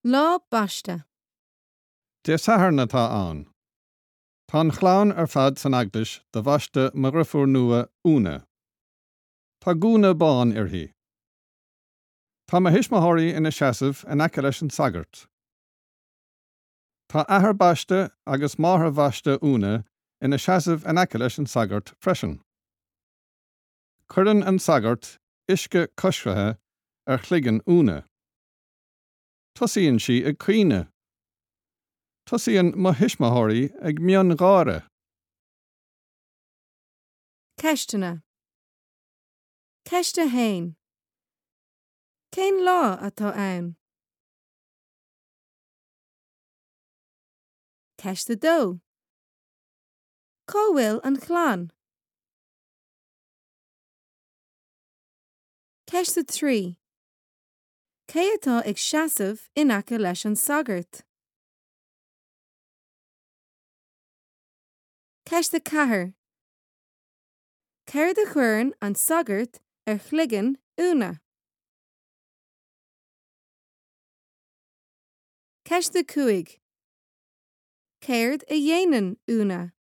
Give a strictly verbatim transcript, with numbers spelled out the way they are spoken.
Lá baiste. Dé Sathairn atá ann. Tá an chlann ar fad san eaglais do bhaisteadh mo dheirfiúr nua Úna. Tá gúna bán uirthi. Tá mo thuismitheoirí ina seasamh in aice leis an sagart. Tá athair baiste agus máthair bhaiste Úna ina seasamh in aice leis an sagart freisin. Cuireann an sagart uisce coisricthe ar chloigeann Úna. Tosaíonn sí ag caoineadh. Tosaíonn mo thuismitheoirí ag miongháire. Ceisteanna. Ceist a haon. Cén lá atá ann? Ceist a dó. Cá bhfuil an chlann? Ceist a trí. Cé atá ag seasamh in aice leis an sagart? Ceist a ceathair. Céard a chuireann an sagart ar chloigeann Úna? Ceist a cúig. Céard a dhéanann Úna?